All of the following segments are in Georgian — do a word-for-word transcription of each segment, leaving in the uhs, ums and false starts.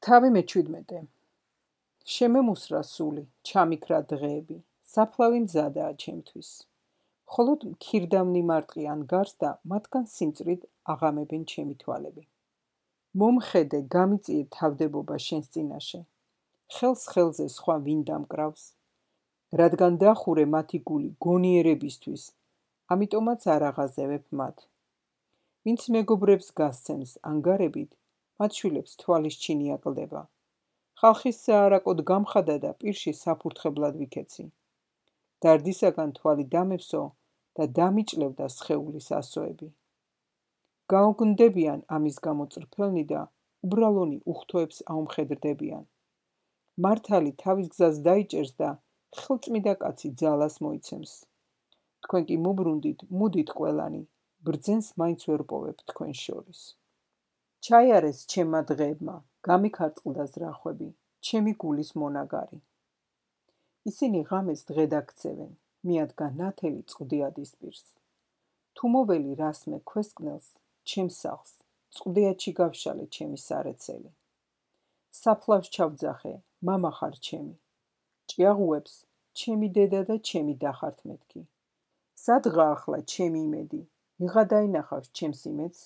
თავი მეჩვიდმეტე. შემემუსრა სული, ჩამიქრა დღეები, საფლავი მზადაა ჩემთვის. მხოლოდ მქირდამნი მარტყიან გარს და მათგან სიმწვრით აღამებენ ჩემი თვალები. მომხედე, გამიწიე თავდებობა შენს წინაშე. ხელს ხელზე სხვა ვინ დამკრავს? რადგან დახურე მათი გული გონიერებისთვის, ამიტომაც არ აღაზევებ მათ. ვინც მეგობრებს გასცემს ანგარებით, მათ შვილებს თვალის ჩინი აკლდება. ხალხის საარაკოდ გამხადა და პირში საფურთხებლად ვიქეცი. დარდისაგან თვალი დამევსო და დამიჭლევდა სხეულის ასოები. გაუგნდებიან ამის გამო წრფელნი და უბრალონი უხთოებს აუმხედრდებიან. მართალი თავის გზას დაიჭერს და ხელწმიდა კაცი ძალას მოიცემს. თქვენ კი მუბრუნდით, მუდით ყველანი, ბრძენს მაინც ვერ პოვებ თქვენ შორის. ჩაიარეს ჩემმა დღეებმა, გამიქარწყლდა ზრახვები, ჩემი გულის მონაგარი. ისინი ღამეს დღედ აქცევენ, მიადგა ნათელი წყდიადის პირს. თუ მოველი რასმე ქვესკნელს, ჩემს სახლს, წყდიადში გავშალე ჩემი სარეცელი. საფლავს ჩავძახე, მამა ხარ ჩემი. ჭიაღუებს, ჩემი დედა და ჩემი დახართ მეთქი. სადღა ახლა ჩემი იმედი, ვიღა დაინახავს ჩემს იმედს?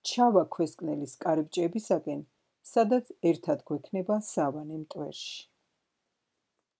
ჩავა ქვესკნელის კარიბჭეებისაკენ, სადაც ერთად გვექნება სავანე მტვერში.